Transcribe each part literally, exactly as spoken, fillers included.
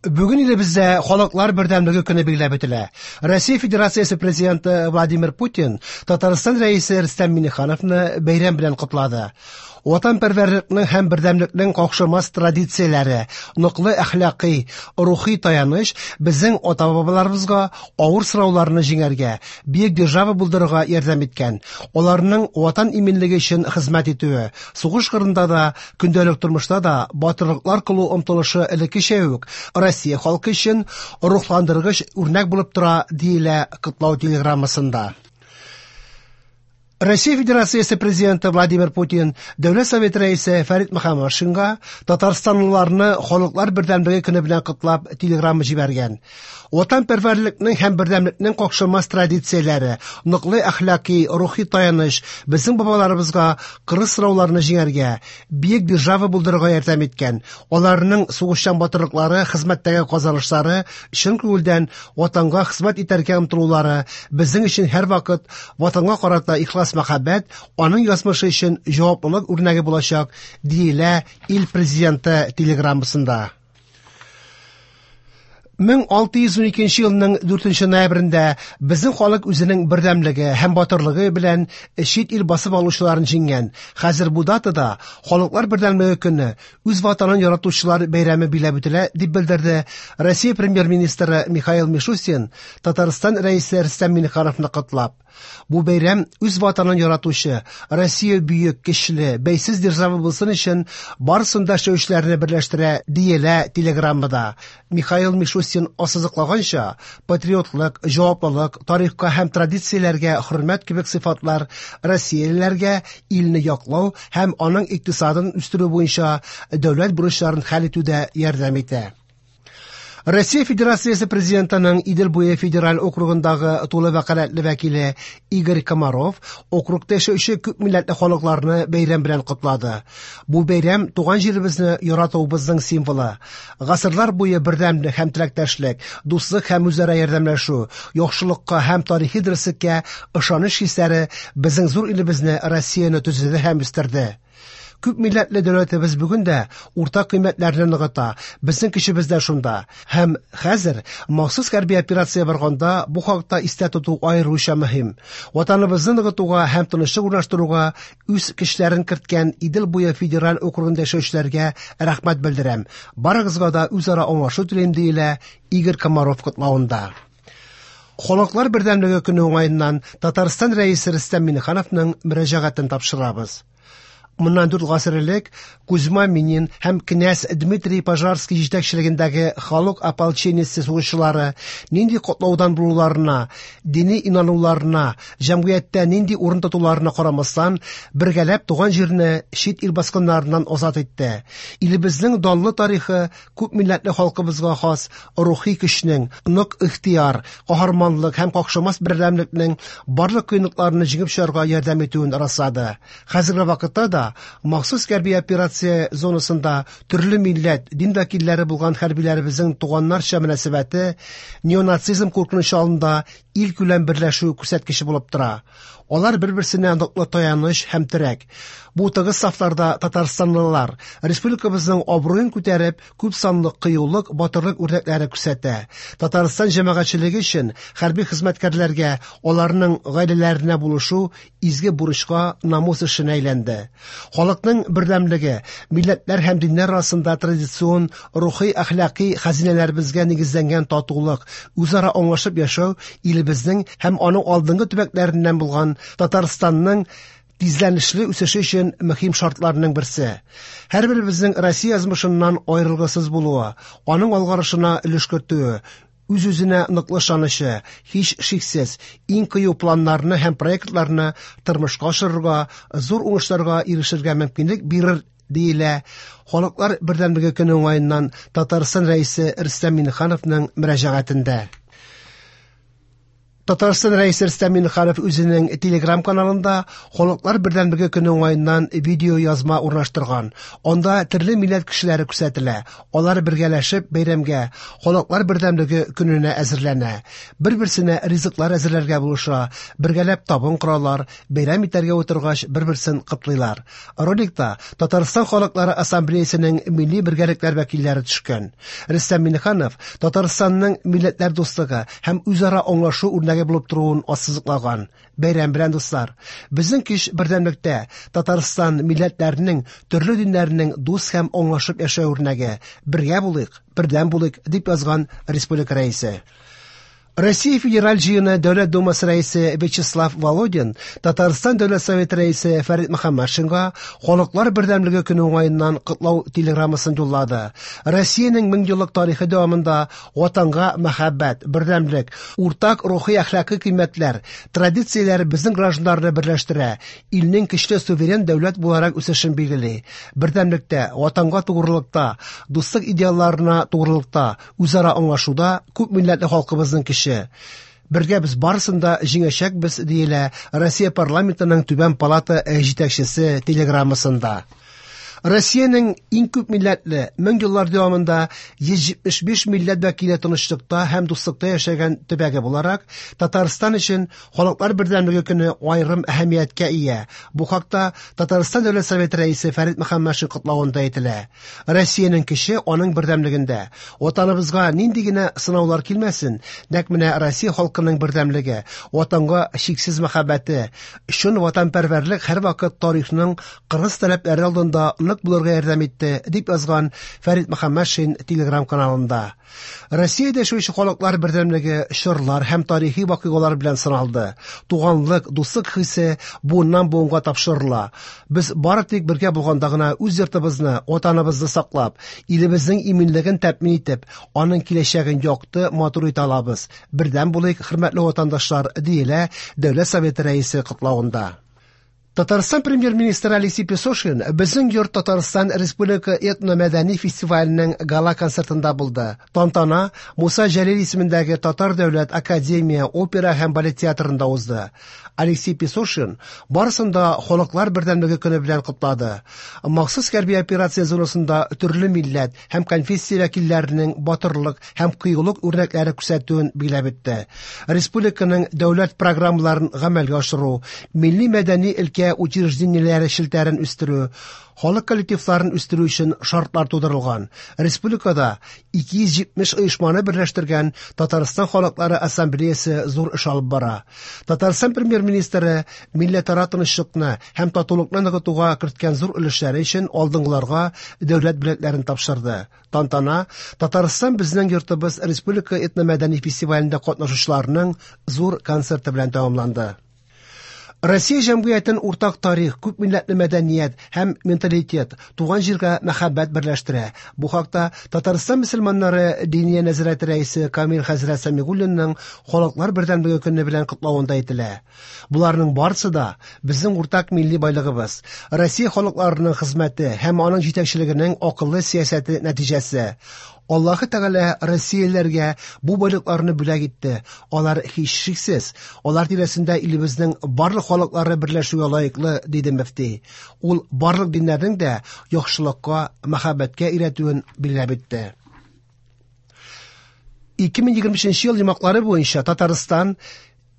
Бүген илебездә Халыклар бердәмлеге көне билгеләп үтелә. Россия Федерациясе Президенты Владимир Путин Татарстан Рәисе Рөстәм Миңнехановны бәйрәм белән котлады. Ватанпәрвәрлекнең һәм бердәмлекнең какшамас традицияләре, ныклы әхлакый, рухи таяныч безнең ата-бабаларыбызга авыр сынауларны җиңәргә, бөек держава булдырырга ярдәм иткән. Аларның ватан иминлеге өчен хезмәт итүе, сугыш кырында да, көндәлек тормышта да батырлыклар кылу омтылышы элеккечә үк Россия халкы өчен рухландыргыч үрнәк булып тора, диелә котлау телеграммасында. Россия Федерациясе Президенты Владимир Путин Дәүләт Советы Рәисе Фәрит Мөхәммәтшинга татарстанлыларны Халыклар бердәмлеге көне белән котлап телеграмма җибәргән. Ватанпәрвәрлекнең һәм бердәмлекнең какшамас традицияләре, ныклы әхлаки, рухи таяныч безнең бабаларыбызга кырыс сынауларны җиңәргә, бөек держава булдырырга ярдәм иткән. Аларның сугышчан батырлыклары, хезмәттәге казанышлары, чын күңелдән ватанга хезмәт итәргә омтылулары безнең өчен һәрвакыт ватанга карата ихлас мәхәббәт, аның язмышы өчен җаваплылык үрнәге булачак, диелә ил президенты телеграммасында. мең алты йөз уникенче елның дүртенче ноябрендә безнең халык үзенең бердәмлеге һәм батырлыгы белән чит ил басып алучыларын җиңгән. Хәзер бу датада Халыклар бердәмлеге көне, үз ватанын яратучылар бәйрәме билгеләп үтелә, дип белдерде Россия премьер-министры Михаил Мишустин Татарстан Рәисе Рөстәм Миңнехановны котлап. Бу бәйрәм үз ватанын яратучы, Россия бөек, көчле, бәйсез держава булсын өчен барысын да эшләүчеләрне берләштерә, диелә телеграммада. Михаил Мишустин ассызыклаганча, патриотлык, җаваплылык, тарихка һәм традицияләргә хөрмәт кебек сыйфатлар россиялеләргә илне яклау һәм аның икътисадын үстерү буенча дәүләт бурычларын хәл итүдә ярдәм итә. Россия Федерациясе Президентының Идел буе федераль округындагы тулы вәкаләтле вәкиле Игорь Комаров округта яшәүче күп милләтле халыкларны бәйрәм белән котлады. Бу бәйрәм туган җиребезне яратуыбызның символы. Гасырлар буе бердәмлек һәм теләктәшлек, дуслык һәм үзара ярдәмләшү, яхшылыкка һәм тарихи дөреслеккә ышаныч хисләре безнең зур илебезне, Россияне төзеде һәм үстерде. Күп милләтле дәүләтебез бүген дә уртак кыйммәтләрне ныгыта, безнең көчебез дә шунда. Һәм хәзер махсус хәрби операция барганда бу хакта истә тоту аеруча мөһим. Ватаныбызны ныгытуга һәм тынычлык урнаштыруга үз көчләрен керткән Идел буе федераль округында яшәүчеләргә рәхмәт белдерәм. Барыгызга да үзара аңлашу телим, диелә Игорь Комаров котлавында. Халыклар бердәмлеге көне уңаеннан Татарстан Рәисе Рөстәм Миңнехановның мөрәҗәгатен тапшырабыз. Моннан дүрт гасыр элек Кузьма Минин һәм князь Дмитрий Пожарский җитәкчелегендәге халык ополчениесе сугышчылары нинди котлаудан булуларына, дини инануларына, җәмгыятьтә нинди урын тотуларына карамастан, бергәләп туган җирне чит ил баскыннарыннан азат итте. Илебезнең данлы тарихы күп милләтле халкыбызга хас рухи көчнең, нык ихтыяр, каһарманлык һәм какшамас бердәмлекнең барлык кыенлыкларны җиңеп чыгарга ярдәм итүен раслады. Хәзерге вакытта да махсус хәрби операция зонасында төрле милләт, дин вәкилләре булган хәрбиләребезнең туганнарча мөнәсәбәте неонацизм куркынычы алдында илкүләм берләшү күрсәткече булып тора. Алар бер-берсенә ныклы таяныч һәм терәк. Бу тыгыз сафларда татарстанлылар республикабызның абруен күтәреп, күп санлы кыюлык, батырлык үрнәкләре күрсәтә. Татарстан җәмәгатьчелеге өчен хәрби хезмәткәрләргә, аларның гаиләләренә булышу изге бурычка, намус эшенә әйләнде. Халыкның бердәмлеге, милләтләр һәм диннәр арасында традицион рухи әхлакый хәзинәләребезгә нигезләнгән татулык, үзара аңлашып яшәү илебезнең һәм аның алдынгы төбәкләреннән булган Татарстанның тизләнешле үсеше өчен мөһим шартларның берсе. Һәрберебезнең Россия язмышыннан аерылгысыз булуы, аның алгарышына өлеш кертүе, үз-үзенә ныклы ышанычы, һич шиксез, иң кыю планнарны һәм проектларны тормышка ашырырга, зур уңышларга ирешергә мөмкинлек бирер, диелә Халыклар бердәмлеге көне уңаеннан Татарстан Рәисе Рөстәм Миңнехановның мөрәҗәгатендә. Татарстан Рәисе Рөстәм Миңнеханов үзенең Telegram каналында Халыклар бердәмлеге көне уңаеннан видео язма урнаштырган. Анда төрле милләт кешеләре күрсәтелә. Алар бергәләшеп бәйрәмгә, Халыклар бердәмлеге көненә әзерләнә. Бер-берсенә ризыклар әзерләргә булыша, бергәләп табын коралар, бәйрәм итәргә утыргач бер-берсен котлыйлар. Роликта Татарстан Халыклары Ассамблеясының милли бергәлекләр вәкилләре төшкән. Рөстәм Миңнеханов Татарстанның милләтләр дуслыгы һәм үзара аңлашу үрнәге булып торуын ассызыклаган. Бәйрәм белән, дуслар! Безнең көч бердәмлектә. Татарстан милләтләренең, төрле диннәрнең дус һәм аңлашып яшәү үрнәге. Бергә булыйк, бердәм булыйк, дип язган республика рәисе. Россия Федераль җыены Дәүләт Думасы рәисе Вячеслав Володин Татарстан Дәүләт Советы рәисе Фәрит Мөхәммәтшинга Халыклар бердәмлеге көне уңаеннан котлау телеграммасын юллады. Россиянең мең еллык тарихы дәвамында ватанга мәхәббәт, бердәмлек, уртак рухи әхлакый кыйммәтләр, традицияләр безнең гражданнарны берләштерә, илнең көчле суверен дәүләт буларак үсешен билгели. Бердәмлектә, ватанга тугрылыкта, дуслык идеалларына тугрылыкта, үзара аңлашуда күп милләтле халкыбызның көче. Бергә без барысын да җиңәчәкбез, диелә Россия парламентының түбән палата җитәкчесе телеграммасында. Россиянең иң күп милләтле, мең еллар дәвамында йөз җитмеш биш милләт вәкиле тынычлыкта һәм дуслыкта яшәгән төбәге буларак, Татарстан өчен Халыклар бердәмлеге көне аерым әһәмияткә ия. Бу хакта Татарстан Дәүләт Советы рәисе Фәрит Мөхәммәтшин котлавында әйтелә. Россиянең көче аның бердәмлегендә. Ватаныбызга нинди генә сынаулар килмәсен, нәкъ менә Россия халкының бердәмлеге, ватанга чиксез мәхәббәте, чын ватанпәрвәрлек һәрвакыт тарихның кырыс таләпләре алдында нык булырга ярдәм итте, дип язган Фәрит Мөхәммәтшин Telegram каналында. Россиядә яшәүче халыклар бердәмлеге чорлар һәм тарихи вакыйгалар белән сыналды. Туганлык, дуслык хисе буыннан буынга тапшырыла. Без бары тик бергә булганда гына үз йортыбызны, ватаныбызны саклап, илебезнең иминлеген тәэмин итеп, аның киләчәген якты, матур итә алабыз. Бердәм булыйк, хөрмәтле ватандашлар, диелә Дәүләт Советы рәисе котлавында. Татарстан премьер-министры Алексей Песошин Безнең йорт Татарстан Республика этномәдәни фестиваленең гала-концертында булды. Тантана Муса Җәлил исемендәге Татар дәүләт академия опера һәм балет театрында узды. Алексей Песошин барысын да Халыклар бердәмлеге көне белән котлады. Махсус хәрби операция зонасында төрле милләт һәм конфессия вәкилләренең батырлык һәм кыюлык үрнәкләре күрсәтүен билгеләп үтте. Республиканың дәүләт программаларын гамәлгә ашыру, милли мәдәни өлкә учреждениеләре челтәрен үстерү, халык коллективларын үстерү өчен шартлар тудырылган. Республикада ике йөз җитмеш оешманы берләштергән Татарстан халыклары ассамблеясы зур эш алып бара. Татарстан премьер-министры милләтара тынычлыкны һәм татулыкны ныгытуга керткән зур өлешләре өчен алдынгыларга дәүләт бүләкләрен тапшырды. Тантана Татарстан безнең йортыбыз республика этномәдәни фестивалендә катнашучыларның зур концерты белән тәмамланды. Россия җәмгыятен уртак тарих, күп милләтле мәдәният һәм менталитет, туган җиргә мәхәббәт берләштерә. Бу хакта Татарстан мөселманнары Диния нәзарәте рәисе Камил хәзрәт Сәмигуллинның Халыклар бердәмлеге көне белән котлавында әйтелә. Буларның барысы да безнең уртак милли байлыгыбыз, Россия халыкларының хезмәте һәм аның җитәкчелегенең акыллы сәясәте нәтиҗәсе. Аллаһы Тәгалә Россияләргә бу байлыкларны бүләк итте. Алар һичшиксез, алар тирәсендә илебезнең барлык халыклары берләшүгә лаеклы, диде мөфти. Ул барлык диннәрнең дә яхшылыкка, мәхәббәткә өйрәтүен билгеләп үтте. ике мең егерме өченче ел йомгаклары буенча Татарстан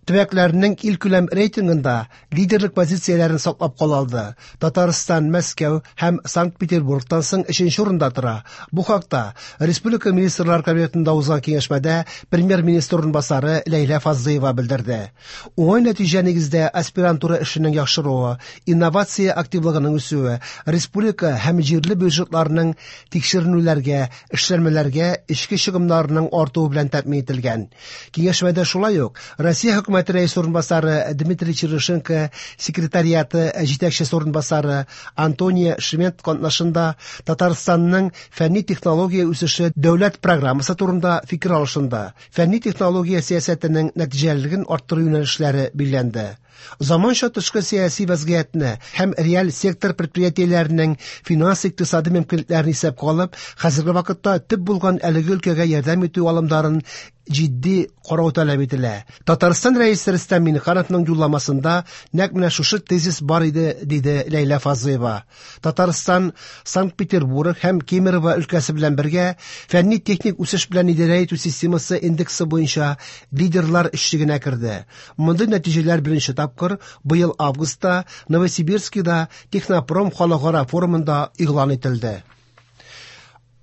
төбәкләренең илкүләм рейтингында лидерлык позицияләрен саклап кала алды. Татарстан Мәскәү һәм Санкт-Петербургтан соң өченче урында тора. Бу хакта Республика Министрлар Кабинетында узган киңәшмәдә премьер-министр урынбасары Ләйлә Фазлыева белдерде. Уңай нәтиҗә нигездә аспирантура эшенең яхшыруы, инновация активлыгының үсүе, республика һәм җирле бюджетларның тикшеренүләргә, эшләнмәләргә эчке чыгымнарының артуы белән тәэмин ителгән. Киңәшмәдә шулай ук Россия хөкүмәте рәисе урынбасары Дмитрий Чернышенко, секретариаты җитәкчесе урынбасары Антония Шмент катнашында Татарстанның фәнни технология үсеше дәүләт программасы турында фикер алышынды. Фәнни технология сәясәтенең нәтиҗәлелеген арттыру юнәлешләре билгеләнде. Заманча тышкы сәяси вазгыятьне һәм реаль сектор предприятиеләренең финанс-икътисади мөмкинлекләрен исәпкә алып, хәзерге вакытта төп булган әлеге өлкәгә ярдәм итү алымдарын җитди карау таләп ителә. Татарстан Рәисе Рөстәм Миңнехановның юлламасында нәкъ менә шушы тезис бар иде, диде Ләйлә Фазлыева. Татарстан Санкт-Петербург һәм Кемерово өлкәсе белән бергә фәнни-техник үсеш белән идарә итү системасы индексы буенча лидерлар өчлегенә керде. Мондый нәтиҗәләр беренче тапкыр быел августта Новосибирскида Технопром халыкара форумында игълан ителде.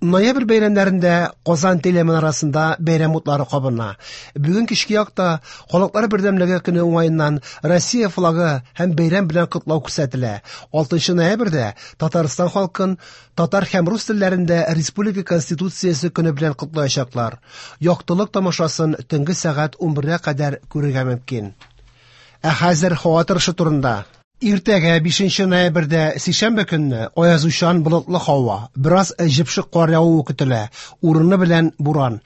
Ноябрь бәйрәмнәрендә Казан телеминарасында бәйрәм утлары кабына. Бүген кичке якта Халыклар бердәмлеге көне уңаеннан Россия флагы һәм бәйрәм белән котлау күрсәтелә. алтынчы ноябрьдә Татарстан халкын татар һәм рус телләрендә Республика Конституциясе көне белән котлаячаклар. Яктылык тамашасын төнге сәгать унбергә кадәр күрергә мөмкин. Ә хәзер һава торышы турында. Иртәгә бишенче ноябрьдә сишәмбе көнне аязучан болытлы һава, бераз җепшек кар явуы көтелә, урыны белән буран.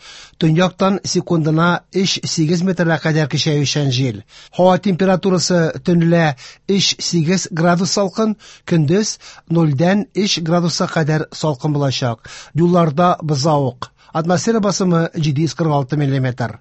Төньяктан секундына өч сигез метрга кадәр көчәючән җил. Һава температурасы төнлә өч сигез градус салкын, көндез нольдән өч градуска кадәр салкын булачак. Юлларда бозавык. Атмосфера басымы җиде йөз кырык алты миллиметр.